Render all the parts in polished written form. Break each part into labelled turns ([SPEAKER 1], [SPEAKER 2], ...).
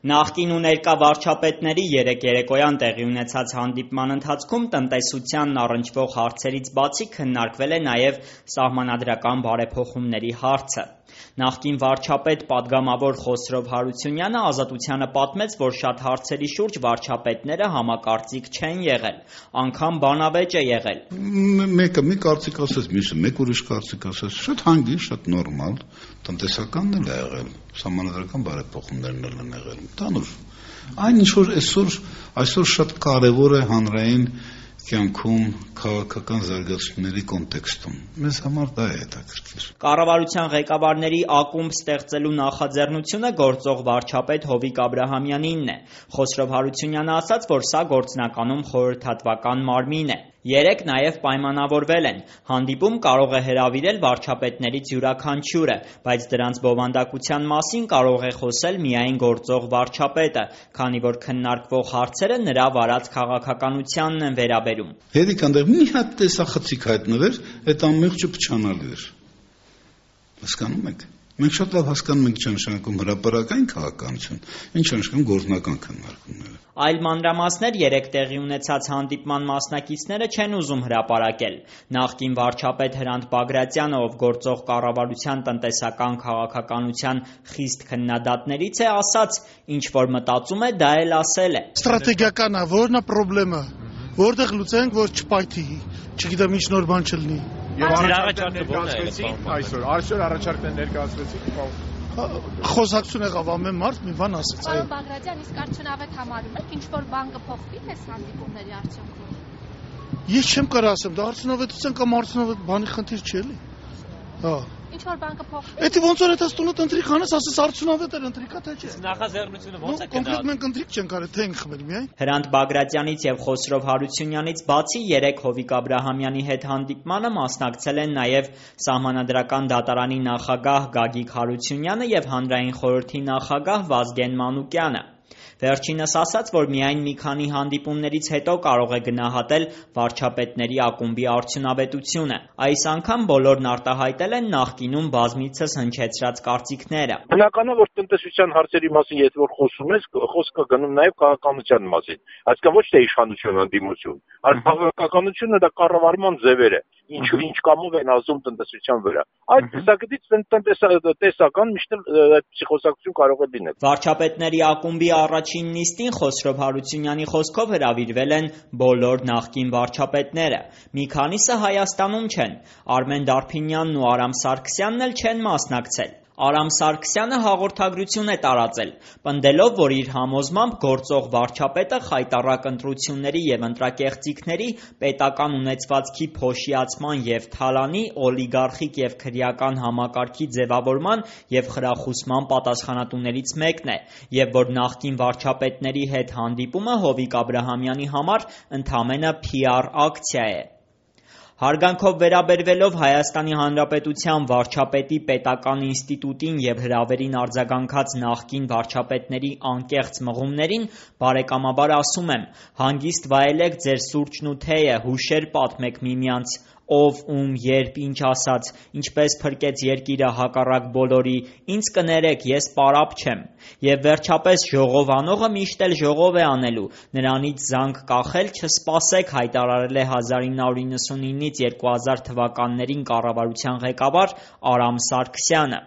[SPEAKER 1] Նախկին ու ներկա վարչապետների երեկ երեկոյան տեղի ունեցած հանդիպման ընթացքում տնտեսությանն առնչվող հարցերից բացի քննարկվել է նաև սահմանադրական բարեփոխումների հարցը։ Նախկին վարչապետ պատգամավոր Խոսրով Հարությունյանը Ազատությանը պատմեց, որ շատ հարցերի շուրջ վարչապետները համակարծիք չեն եղել, անգամ բանավեճ է եղել։
[SPEAKER 2] Մեկը մի կարծիք ասես, մյուսը մեկ ուրիշ կարծիք ասես, շատ հանգիստ, շատ նորմալ, տնտեսականն էլ է եղել, սահմանադրական բարեփոխումներն էլ են եղել, տանուր։ Այն ինչ որ այսօր շատ կարևոր է հանրային կյանքում քաղաքական զարգացումների կոնտեքստում։ Մեզ համար դա է հետաքրքիր։
[SPEAKER 1] Կառավարության ղեկավարների ակումբ ստեղծելու նախաձեռնությունը գործող վարչապետ Հովիկ Աբրահամյանինն է։ Խոսրով Հարությունյանը ասաց, որ սա գործնականում խորհրդատվական մարմին է։ Երեկ նաև պայմանավորվել են։ Հանդիպում կարող է հրավիրել վարչապետներից յուրաքանչյուրը, բայց դրանց բովանդակության մասին կարող է խոսել միայն գործող վարչապետը, քանի որ քննարկվող հարցերը նրա վարած քաղաքականությանն են վերաբերում։
[SPEAKER 2] Հերիք այնտեղ մի հատ տեսախցիկ հայտնվեր, այդ ամբողջը փչանալու էր։ Հասկանում եք։ Մենք շատ լավ հասկանում ենք ճանաչում հրապարակային քաղաքականություն, ինչ անշկան գործնական քննարկումները։
[SPEAKER 1] Այլ մանրամասներ երեկ տեղի ունեցած հանդիպման մասնակիցները չեն ուզում հրապարակել։ Նախկին վարչապետ Հրանտ Բագրատյանը, ով գործող կառավարության տնտեսական քաղաքականության խիստ քննադատներից է, ասաց, ինչ որ մտածում է, դա էլ ասել է։
[SPEAKER 3] Ստրատեգիական է, որն է խնդրեմը, որտեղ լուծենք, որ չպայթի, չգիտեմ ինչ նոր բան չլինի։
[SPEAKER 4] Եվ այսօր առաջարկներ ներկայացվեցիք։
[SPEAKER 3] Խոսակցություն եղավ ամեն մարդ մի բան ասեց։
[SPEAKER 5] Պարոն Բագրատյան, իսկ արդյունավետ համարում եք ինչ որ բան կփոխվի այս հանդիպումների արդյունքում։
[SPEAKER 3] Ես չեմ կարող ասեմ, դա արդյունավետության կամ արդյունավետ բանի խնդիր չէ էլի։ Հա։
[SPEAKER 5] Ինչ որ բան կփոխվի։
[SPEAKER 3] Էդի ոնց որ այդ տունը ընտրիկ անես, ասես արդյունավետ էր ընտրիկա թե չէ։
[SPEAKER 4] Նախաձեռնությունը ո՞նց է գնալ։
[SPEAKER 3] Կոնկրետ մենք ընտրիկ չենք արել, թե ենք խմել միայն։
[SPEAKER 1] Հրանտ Բագրատյանից եւ Խոսրով Հարությունյանից բացի երեք Հովիկ Աբրահամյանի հետ հանդիպմանը մասնակցել են նաև Սահմանադրական դատարանի նախագահ Գագիկ Հարությունյանը եւ Հանրային խորհրդի նախագահ Վազգեն Մանուկյանը։ Վերջինս ասաց, որ միայն մի քանի հանդիպումներից հետո կարող է գնահատել վարչապետների ակումբի արդյունավետությունը։ Այս անգամ բոլորն արտահայտել են նախկինում բազմիցս հնչեցրած կարծիքները։
[SPEAKER 6] Բնական է, որ տնտեսության հարցերի մասին եթե որ խոսում ես, խոսքը գնում նաև քաղաքականության մասին, այսինքն ոչ թե իշխանություն ընդդիմություն, այլ քաղաքականությունը դա կառավարման ձևեր է, ինչ կամով են ազդում տնտեսության վրա։ Այդ տեսակետից տեսական միշտ փսիխոսակցություն կարող է լինել։
[SPEAKER 1] Վարչապետների ակումբի առաջին նիստին Խոսրով Հարությունյանի խոսքով հրավիրվել են բոլոր նախկին վարչապետները։ Մի քանիսը Հայաստանում չեն։ Արմեն Դարփինյանն ու Արամ Սարգսյանն էլ չեն մասնակցել։ Արամ Սարգսյանը հաղորդագրություն է տարածել, պնդելով, որ իր համոզմամբ գործող վարչապետը խայտառակ ընտրությունների եւ ընտրակեղծիքների, պետական ունեցվածքի փոշիացման եւ թալանի, օլիգարխիկ եւ քրեական համակարգի ձևավորման եւ խրախուսման պատասխանատուներից մեկն է, եւ որ նախկին վարչապետների հետ հանդիպումը Հովիկ Աբրահամյանի համար ընդամենը PR ակցիա է։ Հարգանքով վերաբերվելով Հայաստանի Հանրապետության վարչապետի պետական ինստիտուտին եւ հրավերին արձագանքած նախկին վարչապետների անկեղծ մղումներին, բարեկամաբար ասում եմ, հանգիստ վայելեք ձեր սուրճն ու թեյը, հուշեր պատմեք միմյանց, ով ում երբ ինչ ասաց, ինչպես փրկեց երկիրը հակառակ բոլորի, ինձ կներեք, ես պարապ չեմ։ Եվ վերջապես ժողով անողը միշտ էլ ժողով է անելու, նրանից զանգ կախել չսպասեք, հայտարարել է 1999-ից 2000 թվականներին կառավարության ղեկավար Արամ Սարգսյանը։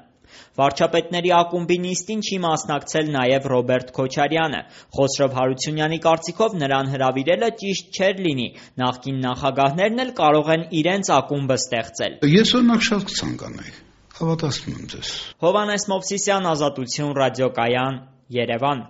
[SPEAKER 1] Վարչապետների ակումբի նիստին չի մասնակցել նաև Ռոբերտ Քոչարյանը։ Խոսրով Հարությունյանի կարծիքով նրան հրավիրելը ճիշտ չէր լինի, նախկին նախագահներն էլ կարող են իրենց ակումբը ստեղծել։
[SPEAKER 2] Ես օրինակ շատ կցանկանայի, հավատացնում եմ ձեզ։
[SPEAKER 1] Հովհաննես Մովսիսյան, Ազատություն, ռադիոկայան, Երևան։